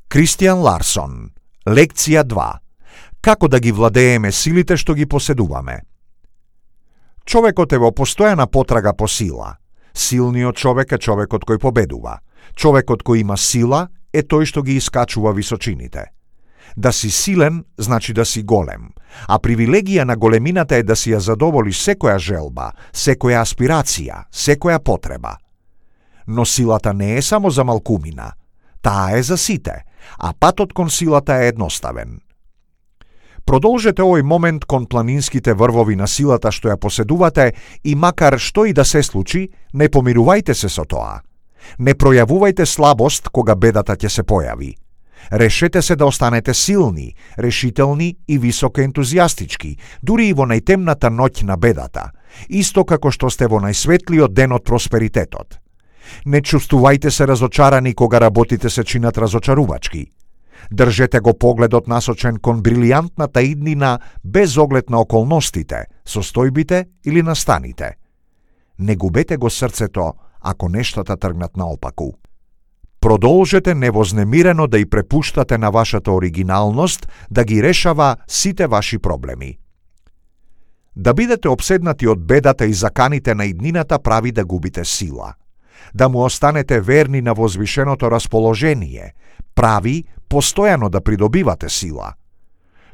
Кристијан Ларсон. Лекција 2. Како да ги владееме силите што ги поседуваме? Човекот е во постојана потрага по сила. Силниот човек е човекот кој победува. Човекот кој има сила е тој што ги искачува височините. Да си силен значи да си голем, а привилегија на големината е да си ја задоволиш секоја желба, секоја аспирација, секоја потреба. Но силата не е само за малкумина, таа е за сите, а патот кон силата е едноставен. Продолжете овој момент кон планинските врвови на силата што ја поседувате и макар што и да се случи, не помирувајте се со тоа. Не пројавувајте слабост кога бедата ќе се појави. Решете се да останете силни, решителни и високо ентузијастички, дури и во најтемната ноќ на бедата, исто како што сте во најсветлиот ден од просперитетот. Не чувствувајте се разочарани кога работите се чинат разочарувачки. Држете го погледот насочен кон брилијантната иднина без оглед на околностите, состојбите или настаните. Не губете го срцето ако нештата тргнат наопаку. Продолжете невознемирено да и препуштате на вашата оригиналност да ги решава сите ваши проблеми. Да бидете обседнати од бедата и заканите на иднината прави да губите сила. Да му останете верни на возвишеното расположение прави постојано да придобивате сила.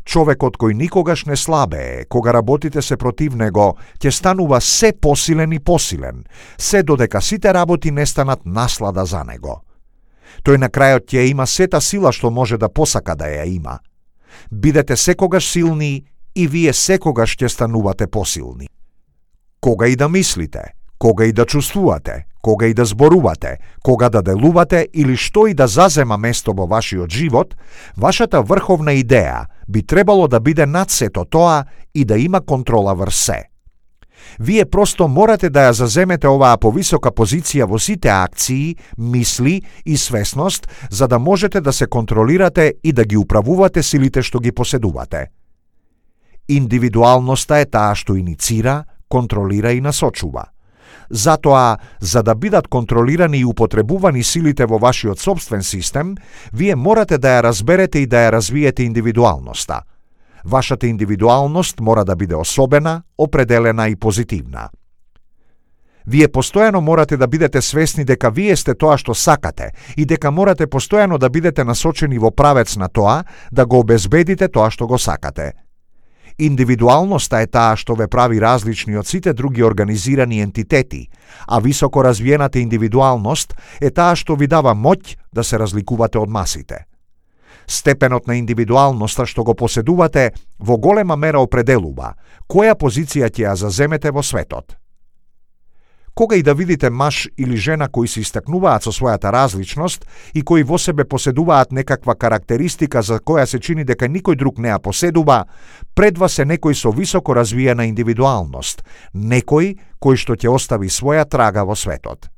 Човекот кој никогаш не слабее, кога работите се против него, ќе станува се посилен и посилен, се додека сите работи не станат наслада за него. Тој на крајот ќе има сета сила што може да посака да ја има. Бидете секогаш силни и вие секогаш ќе станувате посилни. Кога и да мислите, кога и да чувствувате, кога и да зборувате, кога да делувате или што и да зазема место во вашиот живот, вашата врховна идеја би требало да биде над сето тоа и да има контрола врз се. Вие просто морате да ја заземете оваа повисока позиција во сите акции, мисли и свесност, за да можете да се контролирате и да ги управувате силите што ги поседувате. Индивидуалноста е таа што иницира, контролира и насочува. Затоа, за да бидат контролирани и употребувани силите во вашиот сопствен систем, вие морате да ја разберете и да ја развиете индивидуалноста. Вашата индивидуалност мора да биде особена, определена и позитивна. Вие постојано морате да бидете свесни дека вие сте тоа што сакате и дека морате постојано да бидете насочени во правец на тоа да го обезбедите тоа што го сакате. Индивидуалноста е таа што ве прави различни од сите други организирани ентитети, а високо развиената индивидуалност е таа што ви дава моќ да се разликувате од масите. Степенот на индивидуалноста што го поседувате во голема мера определува која позиција ќе ја заземете во светот. Кога и да видите маж или жена кои се истакнуваат со својата различност и кои во себе поседуваат некаква карактеристика за која се чини дека никој друг не ја поседува, пред вас е некој со високо развиена индивидуалност, некој кој што ќе остави своја трага во светот.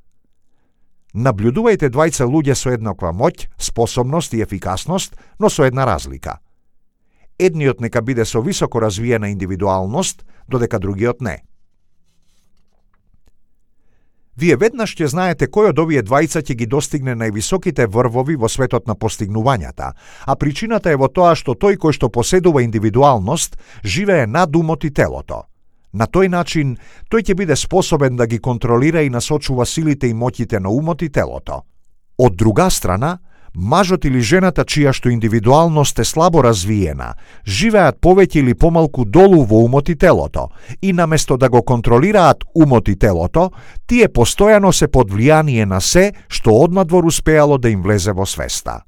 Наблюдувајте двајца луѓе со еднаква моќ, способност и ефикасност, но со една разлика. Едниот нека биде со високо развиена индивидуалност, додека другиот не. Вие веднаш ќе знаете кој од овие двајца ќе ги достигне највисоките врвови во светот на постигнувањата, а причината е во тоа што тој кој што поседува индивидуалност живее над умот и телото. На тој начин, тој ќе биде способен да ги контролира и насочува силите и моќите на умот и телото. Од друга страна, мажот или жената чија што индивидуалност е слабо развиена, живеат повеќе или помалку долу во умот и телото, и наместо да го контролираат умот и телото, тие постојано се под влијание на се што однадвор успеало да им влезе во свеста.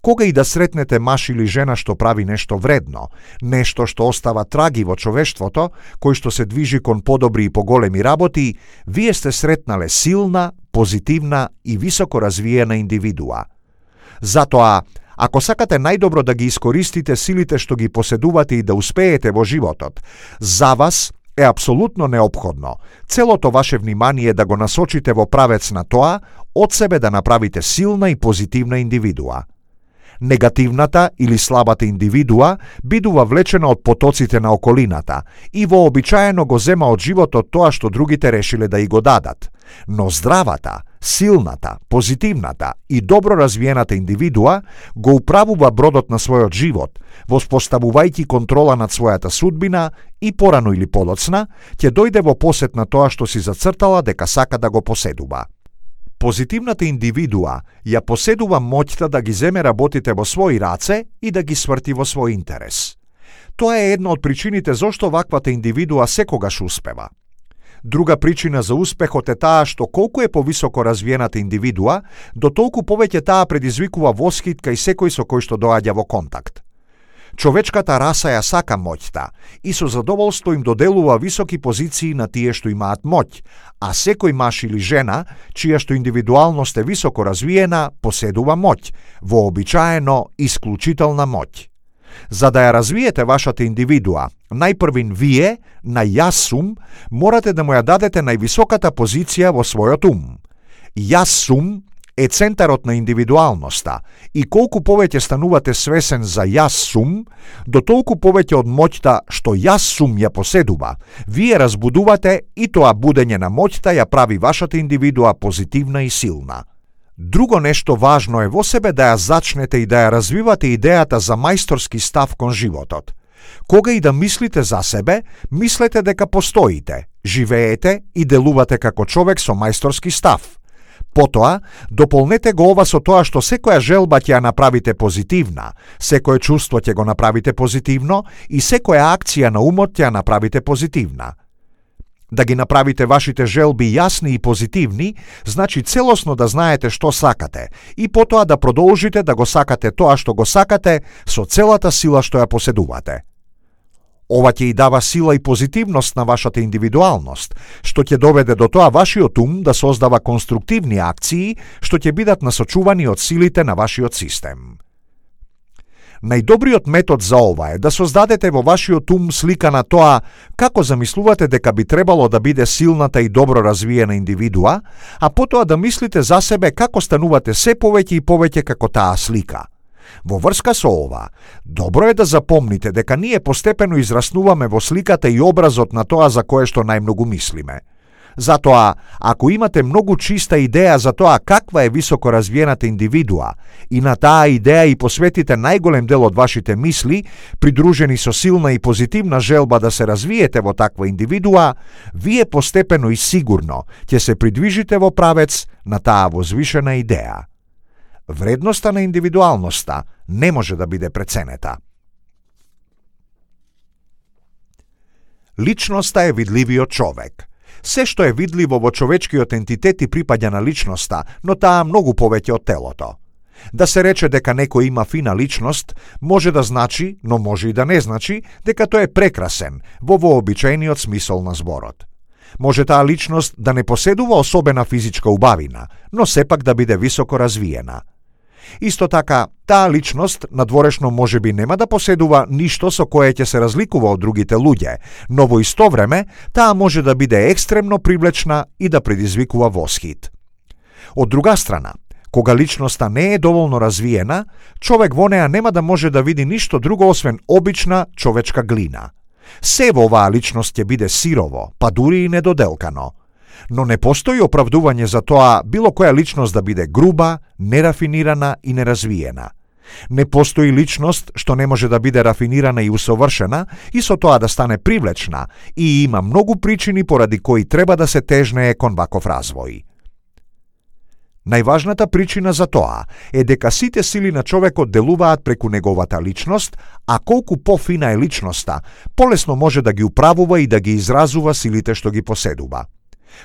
Кога и да сретнете маж или жена што прави нешто вредно, нешто што остава траги во човештвото, кој што се движи кон подобри и поголеми работи, вие сте сретнале силна, позитивна и високо развиена индивидуа. Затоа, ако сакате најдобро да ги искористите силите што ги поседувате и да успеете во животот, за вас е апсолутно неопходно целото ваше внимание да го насочите во правец на тоа, од себе да направите силна и позитивна индивидуа. Негативната или слабата индивидуа бидува влечена од потоците на околината и вообичаено го зема од животот тоа што другите решиле да и го дадат. Но здравата, силната, позитивната и добро развиената индивидуа го управува бродот на својот живот, воспоставувајќи контрола над својата судбина и порано или подоцна ќе дојде во посет на тоа што си зацртала дека сака да го поседува. Позитивната индивидуа ја поседува моќта да ги земе работите во своји раце и да ги сврти во свој интерес. Тоа е една од причините зошто ваквата индивидуа секогаш успева. Друга причина за успехот е таа што колку е повисоко развиената индивидуа, до толку повеќе таа предизвикува восхит кај секој со кој што доаѓа во контакт. Човечката раса ја сака моќта и со задоволство им доделува високи позиции на тие што имаат моќ, а секој маж или жена, чија што индивидуалност е високо развиена, поседува моќ, вообичаено исклучителна моќ. За да ја развиете вашата индивидуа, најпрвин вие, на јас сум, морате да му ја дадете највисоката позиција во својот ум. Јас сум е центарот на индивидуалноста и колку повеќе станувате свесен за јас сум, до толку повеќе од моќта што јас сум ја поседува, вие разбудувате и тоа будење на моќта ја прави вашата индивидуа позитивна и силна. Друго нешто важно е во себе да ја зачнете и да ја развивате идејата за мајсторски став кон животот. Кога и да мислите за себе, мислете дека постоите, живеете и делувате како човек со мајсторски став. Потоа, дополнете го ова со тоа што секоја желба ќе ја направите позитивна, секое чувство ќе го направите позитивно и секоја акција на умот ќе ја направите позитивна. Да ги направите вашите желби јасни и позитивни, значи целосно да знаете што сакате и потоа да продолжите да го сакате тоа што го сакате со целата сила што ја поседувате. Ова ќе и дава сила и позитивност на вашата индивидуалност, што ќе доведе до тоа вашиот ум да создава конструктивни акции што ќе бидат насочувани од силите на вашиот систем. Најдобриот метод за ова е да создадете во вашиот ум слика на тоа како замислувате дека би требало да биде силната и добро развиена индивидуа, а потоа да мислите за себе како станувате се повеќе и повеќе како таа слика. Во врска со ова, добро е да запомните дека ние постепено израснуваме во сликата и образот на тоа за кое што најмногу мислиме. Затоа, ако имате многу чиста идеја за тоа каква е високо развиената индивидуа и на таа идеја и посветите најголем дел од вашите мисли, придружени со силна и позитивна желба да се развиете во таква индивидуа, вие постепено и сигурно ќе се придвижите во правец на таа возвишена идеја. Вредноста на индивидуалноста не може да биде преценета. Личноста е видливиот човек. Се што е видливо во човечкиот ентитет и припаѓа на личноста, но таа многу повеќе од телото. Да се рече дека некој има фина личност, може да значи, но може и да не значи, дека тој е прекрасен во вообичаениот смисол на зборот. Може таа личност да не поседува особена физичка убавина, но сепак да биде високо развиена. Исто така, таа личност надворешно можеби нема да поседува ништо со кое ќе се разликува од другите луѓе, но во исто време таа може да биде екстремно привлечна и да предизвикува восхит. Од друга страна, кога личноста не е доволно развиена, човек во неа нема да може да види ништо друго освен обична човечка глина. Се во оваа личност ќе биде сирово, па дури и недоделкано. Но не постои оправдување за тоа било која личност да биде груба, нерафинирана и неразвиена. Не постои личност што не може да биде рафинирана и усовршена и со тоа да стане привлечна и има многу причини поради кои треба да се тежнее кон ваков развој. Најважната причина за тоа е дека сите сили на човекот делуваат преку неговата личност, а колку пофина е личноста, полесно може да ги управува и да ги изразува силите што ги поседува.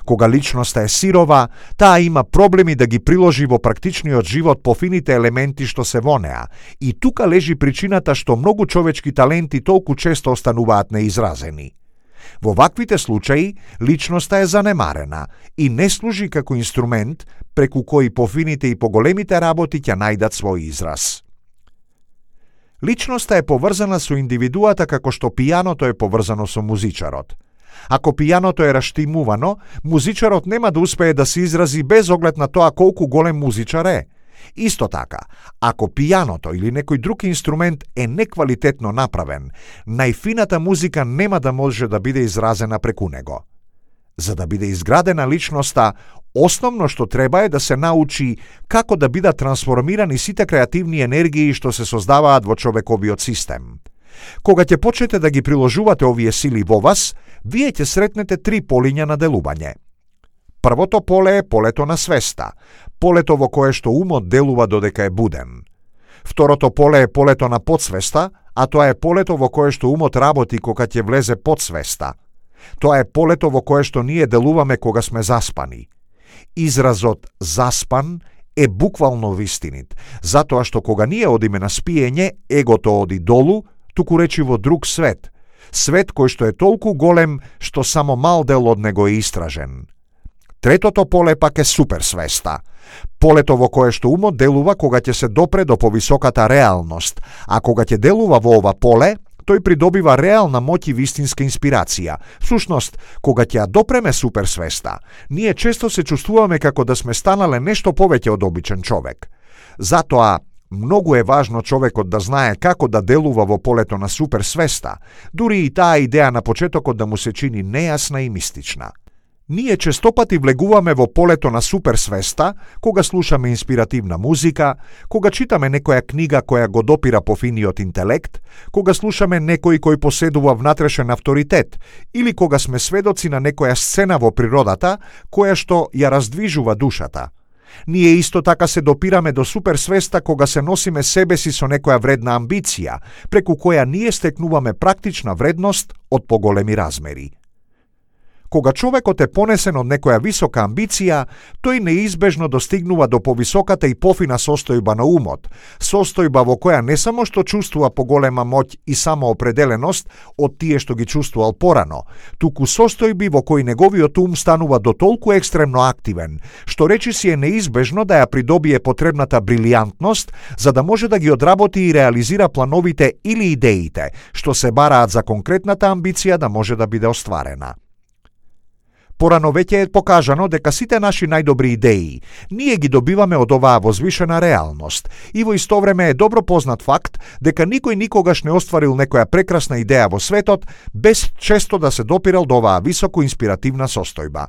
Кога личноста е сирова, таа има проблеми да ги приложи во практичниот живот пофините елементи што се во неа, и тука лежи причината што многу човечки таленти толку често остануваат неизразени. Во ваквите случаи, личноста е занемарена и не служи како инструмент преку кој пофините и поголемите работи ќе најдат свој израз. Личноста е поврзана со индивидуата како што пијаното е поврзано со музичарот. Ако пијаното е раштимувано, музичарот нема да успее да се изрази без оглед на тоа колку голем музичар е. Исто така, ако пијаното или некој друг инструмент е неквалитетно направен, најфината музика нема да може да биде изразена преку него. За да биде изградена личноста, основно што треба е да се научи како да бидат трансформирани сите креативни енергии што се создаваат во човековиот систем. Кога ќе почнете да ги приложувате овие сили во вас, вие ќе сретнете 3 полиња на делување. Првото поле е полето на свеста, полето во кое што умот делува додека е буден. Второто поле е полето на подсвеста, а тоа е полето во кое што умот работи кога ќе влезе подсвеста. Тоа е полето во кое што ние делуваме кога сме заспани. Изразот заспан е буквално вистинит, затоа што кога ние одиме на спиење, егото оди долу, туку речи во друг свет, свет кој што е толку голем што само мал дел од него е истражен. Третото поле пак е суперсвеста, полето во кое што умот делува кога ќе се допре до повисоката реалност, а кога ќе делува во ова поле, тој придобива реална моќ и вистинска инспирација. Всушност, кога ќе ја допреме суперсвеста, ние често се чувствуваме како да сме станале нешто повеќе од обичен човек. Затоа, многу е важно човекот да знае како да делува во полето на суперсвеста, дури и таа идеја на почетокот да му се чини нејасна и мистична. Ние честопати влегуваме во полето на суперсвеста кога слушаме инспиративна музика, кога читаме некоја книга која го допира по финиот интелект, кога слушаме некој кој поседува внатрешен авторитет или кога сме сведоци на некоја сцена во природата која што ја раздвижува душата. Ние исто така се допираме до суперсвеста кога се носиме себеси со некоја вредна амбиција, преку која ние стекнуваме практична вредност од поголеми размери. Кога човекот е понесен од некоја висока амбиција, тој неизбежно достигнува до повисоката и пофина состојба на умот, состојба во која не само што чувствува поголема моќ и самоопределеност од тие што ги чувствувал порано, туку состојби во кои неговиот ум станува до толку екстремно активен, што речиси е неизбежно да ја придобие потребната брилијантност за да може да ги одработи и реализира плановите или идеите што се бараат за конкретната амбиција да може да биде остварена. Порано веќе е покажано дека сите наши најдобри идеи ние ги добиваме од оваа возвишена реалност и во исто време е добро познат факт дека никој никогаш не остварил некоја прекрасна идеја во светот без често да се допирал до оваа високо инспиративна состојба.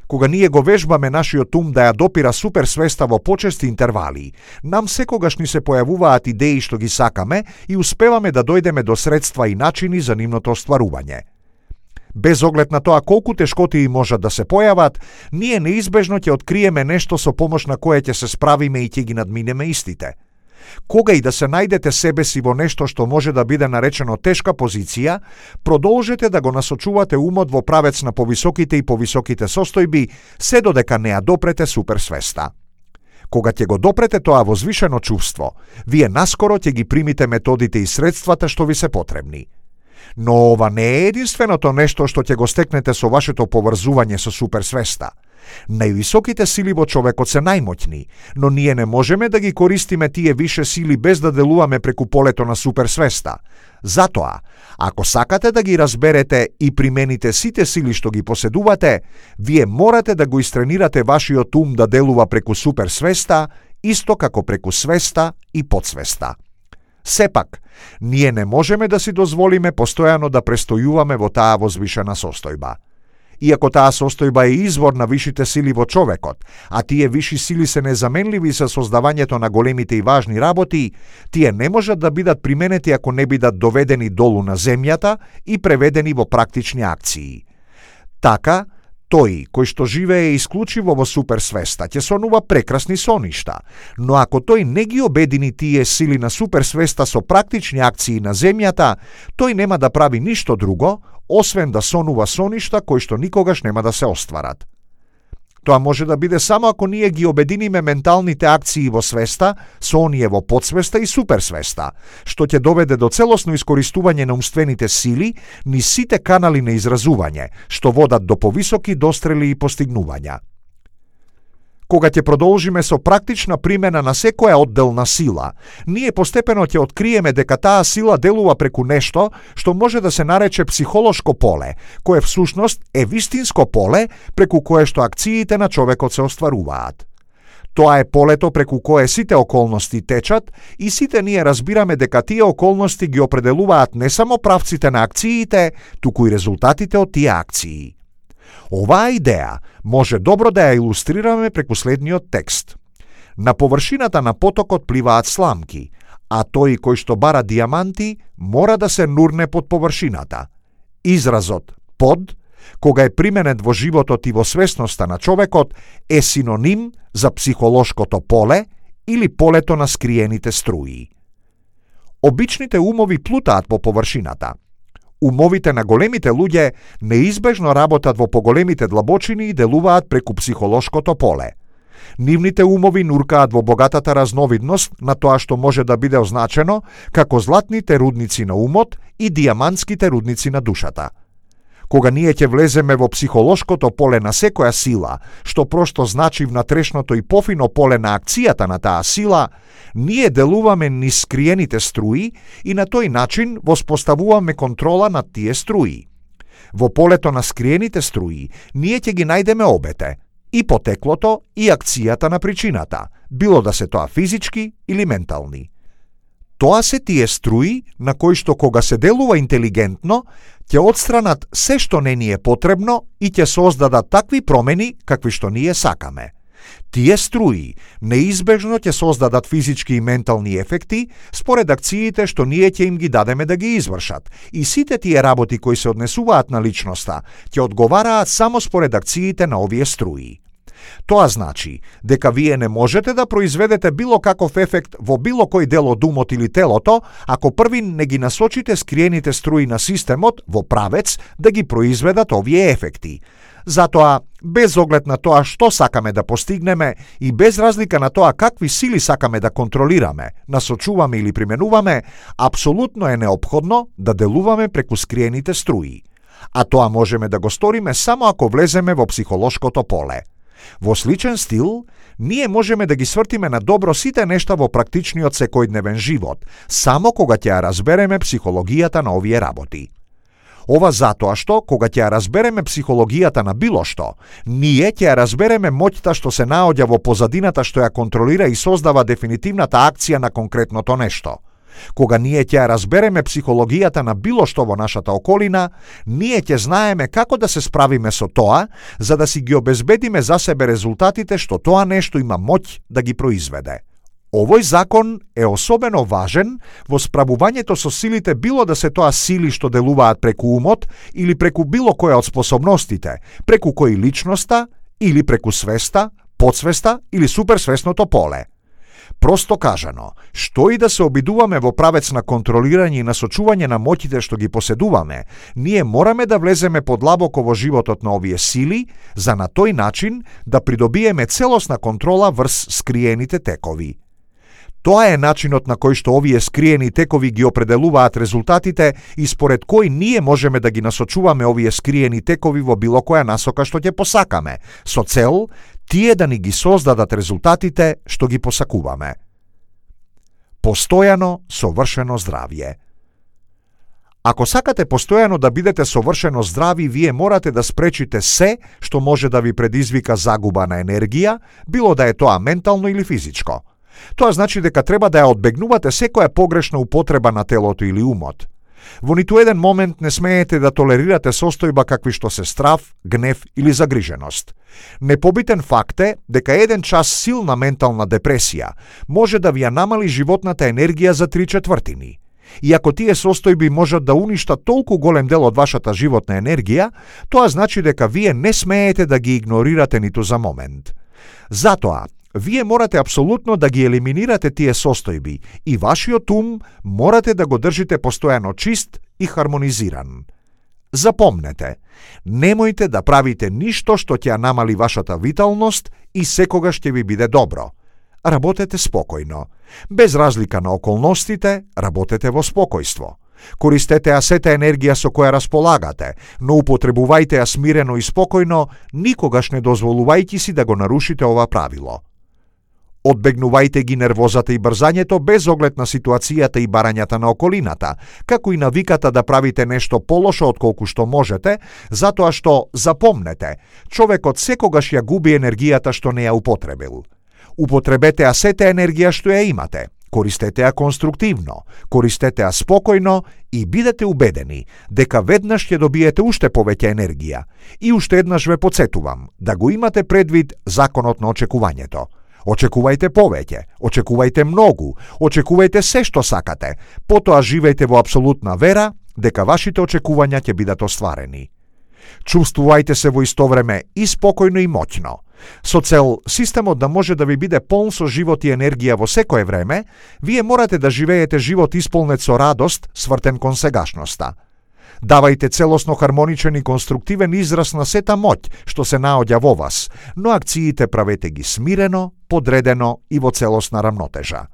Кога ние го вежбаме нашиот ум да ја допира суперсвеста во почести интервали, нам секогаш ни се појавуваат идеи што ги сакаме и успеваме да дојдеме до средства и начини за нивното остварување. Без оглед на тоа колку тешкотии можат да се појават, ние неизбежно ќе откриеме нешто со помош на кое ќе се справиме и ќе ги надминеме истите. Кога и да се најдете себе си во нешто што може да биде наречено тешка позиција, продолжете да го насочувате умот во правец на повисоките и повисоките состојби, се додека не ја допрете суперсвеста. Кога ќе го допрете тоа возвишено чувство, вие наскоро ќе ги примите методите и средствата што ви се потребни. Но ова не е единственото нешто што ќе го стекнете со вашето поврзување со суперсвеста. Највисоките сили во човекот се најмоќни, но ние не можеме да ги користиме тие више сили без да делуваме преку полето на суперсвеста. Затоа, ако сакате да ги разберете и примените сите сили што ги поседувате, вие морате да го истренирате вашиот ум да делува преку суперсвеста, исто како преку свеста и подсвеста. Сепак, ние не можеме да си дозволиме постојано да престојуваме во таа возвишена состојба. Иако таа состојба е извор на вишите сили во човекот, а тие виши сили се незаменливи за создавањето на големите и важни работи, тие не можат да бидат применети ако не бидат доведени долу на земјата и преведени во практични акции. Така, тој кој што живее исклучиво во суперсвеста ќе сонува прекрасни соништа, но ако тој не ги обедини тие сили на суперсвеста со практични акции на земјата, тој нема да прави ништо друго, освен да сонува соништа кои што никогаш нема да се остварат. Тоа може да биде само ако ние ги обединиме менталните акции во свеста со оние во подсвеста и суперсвеста, што ќе доведе до целосно искористување на умствените сили низ сите канали на изразување, што водат до повисоки дострели и постигнувања. Кога ќе продолжиме со практична примена на секоја одделна сила, ние постепено ќе откриеме дека таа сила делува преку нешто што може да се нарече психолошко поле, кое всушност е вистинско поле преку кое што акциите на човекот се остваруваат. Тоа е полето преку кое сите околности течат и сите ние разбираме дека тие околности ги определуваат не само правците на акциите, туку и резултатите од тие акции. Оваа идеја може добро да ја илустрираме преку следниот текст. На површината на потокот пливаат сламки, а тој кој што бара дијаманти мора да се нурне под површината. Изразот под, кога е применет во животот и во свесноста на човекот, е синоним за психолошкото поле или полето на скриените струи. Обичните умови плутаат по површината. Умовите на големите луѓе неизбежно работат во поголемите длабочини и делуваат преку психолошкото поле. Нивните умови нуркаат во богатата разновидност на тоа што може да биде означено како златните рудници на умот и дијамантските рудници на душата. Кога ние ќе влеземе во психолошкото поле на секоја сила, што прошто значи внатрешното и пофино поле на акцијата на таа сила, ние делуваме низ скриените струи и на тој начин воспоставуваме контрола над тие струи. Во полето на скриените струи ние ќе ги најдеме обете, и потеклото и акцијата на причината, било да се тоа физички или ментални. Тоа се тие струи на кои што кога се делува интелигентно, ќе отстранат се што не ни е потребно и ќе создадат такви промени какви што ние сакаме. Тие струи неизбежно ќе создадат физички и ментални ефекти според акциите што ние ќе им ги дадеме да ги извршат, и сите тие работи кои се однесуваат на личноста ќе одговараат само според акциите на овие струи. Тоа значи дека вие не можете да произведете било каков ефект во било кој дел од умот или телото, ако први не ги насочите скриените струи на системот во правец да ги произведат овие ефекти. Затоа, без оглед на тоа што сакаме да постигнеме и без разлика на тоа какви сили сакаме да контролираме, насочуваме или применуваме, апсолутно е неопходно да делуваме преку скриените струи. А тоа можеме да го сториме само ако влеземе во психолошкото поле. Во сличен стил, ние можеме да ги свртиме на добро сите нешта во практичниот секојдневен живот, само кога ќе ја разбереме психологијата на овие работи. Ова затоа што, кога ќе ја разбереме психологијата на било што, ние ќе ја разбереме моќта што се наоѓа во позадината што ја контролира и создава дефинитивната акција на конкретното нешто. Кога ние ќе ја разбереме психологијата на било што во нашата околина, ние ќе знаеме како да се справиме со тоа, за да си ги обезбедиме за себе резултатите што тоа нешто има моќ да ги произведе. Овој закон е особено важен во справувањето со силите, било да се тоа сили што делуваат преку умот или преку било која од способностите, преку кои личноста или преку свеста, подсвеста или суперсвесното поле. Просто кажано, што и да се обидуваме во правец на контролирање и насочување на моќите што ги поседуваме, ние мораме да влеземе подлабоко во животот на овие сили, за на тој начин да придобиеме целосна контрола врз скриените текови. Тоа е начинот на кој што овие скриени текови ги определуваат резултатите и според кој ние можеме да ги насочуваме овие скриени текови во било која насока што ќе посакаме, со цел тие да ни ги создадат резултатите што ги посакуваме. Постојано совршено здравје. Ако сакате постојано да бидете совршено здрави, вие морате да спречите се што може да ви предизвика загуба на енергија, било да е тоа ментално или физичко. Тоа значи дека треба да ја одбегнувате секоја погрешна употреба на телото или умот. Во ниту еден момент не смеете да толерирате состојба какви што се страв, гнев или загриженост. Непобитен факт е дека еден час силна ментална депресија може да ви ја намали животната енергија за 3/4. И ако тие состојби можат да уништат толку голем дел од вашата животна енергија, тоа значи дека вие не смеете да ги игнорирате ниту за момент. Затоа, вие морате апсолутно да ги елиминирате тие состојби и вашиот ум морате да го држите постојано чист и хармонизиран. Запомнете, немојте да правите ништо што ќе ја намали вашата виталност и секогаш ќе ви биде добро. Работете спокојно. Без разлика на околностите, работете во спокојство. Користете ја сета енергија со која располагате, но употребувајте ја смирено и спокојно, никогаш не дозволувајќи си да го нарушите ова правило. Одбегнувајте ги нервозата и брзањето без оглед на ситуацијата и барањата на околината, како и навиката да правите нешто полошо отколку што можете, затоа што, запомнете, човекот секогаш ја губи енергијата што не ја употребил. Употребете ја сета енергија што ја имате. Користете ја конструктивно, користете ја спокојно и бидете убедени дека веднаш ќе добиете уште повеќе енергија. И уште еднаш ве потсетувам да го имате предвид законот на очекувањето. Очекувајте повеќе, очекувајте многу, очекувајте се што сакате, потоа живејте во апсолутна вера дека вашите очекувања ќе бидат остварени. Чувствувајте се во исто време и спокојно и моќно. Со цел системот да може да ви биде полн со живот и енергија во секое време, вие морате да живеете живот исполнет со радост, свртен кон сегашноста. Давајте целосно хармоничен и конструктивен израз на сета моќ што се наоѓа во вас, но акциите правете ги смирено, подредено и во целосна рамнотежа.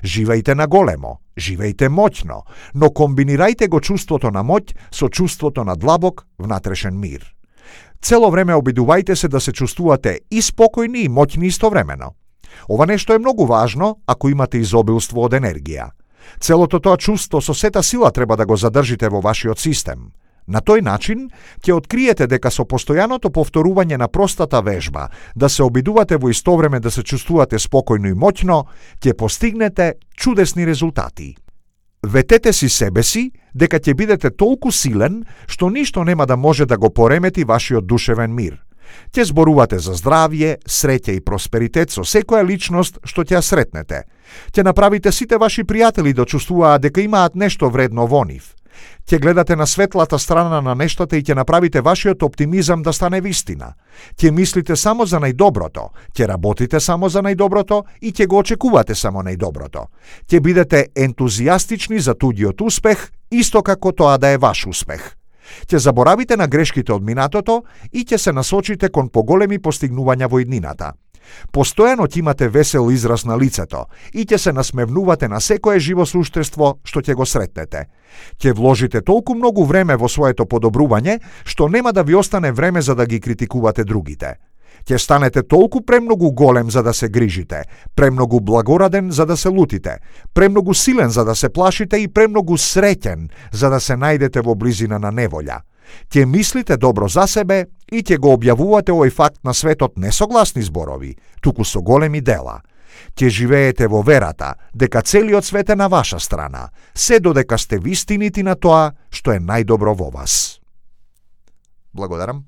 Живејте на големо, живејте моќно, но комбинирајте го чувството на моќ со чувството на длабок внатрешен мир. Цело време обидувајте се да се чувствувате и спокојни и моќни истовремено. Ова нешто е многу важно ако имате изобилство од енергија. Целото тоа чувство со сета сила треба да го задржите во вашиот систем. На тој начин ќе откриете дека со постојаното повторување на простата вежба, да се обидувате во исто време да се чувствувате спокојно и моќно, ќе постигнете чудесни резултати. Ветете си себе си дека ќе бидете толку силен што ништо нема да може да го поремети вашиот душевен мир. Ќе зборувате за здравје, среќа и просперитет со секоја личност што ќе ја сретнете. Ќе направите сите ваши пријатели да чувствуваат дека имаат нешто вредно во нив. Ќе гледате на светлата страна на нештата и ќе направите вашиот оптимизам да стане вистина. Ќе мислите само за најдоброто, ќе работите само за најдоброто и ќе го очекувате само најдоброто. Ќе бидете ентузијастични за туѓиот успех, исто како тоа да е ваш успех. Ќе заборавите на грешките од минатото и ќе се насочите кон поголеми постигнувања во иднината. Постојано ќе имате весел израз на лицето и ќе се насмевнувате на секое живо суштество што ќе го сретнете. Ќе вложите толку многу време во своето подобрување што нема да ви остане време за да ги критикувате другите. Ќе станете толку премногу голем за да се грижите, премногу благораден за да се лутите, премногу силен за да се плашите и премногу среќен за да се најдете во близина на неволја. Ќе мислите добро за себе и ќе го објавувате овој факт на светот не со гласни зборови, туку со големи дела. Ќе живеете во верата дека целиот свет е на ваша страна, се додека сте вистинити на тоа што е најдобро во вас. Благодарам.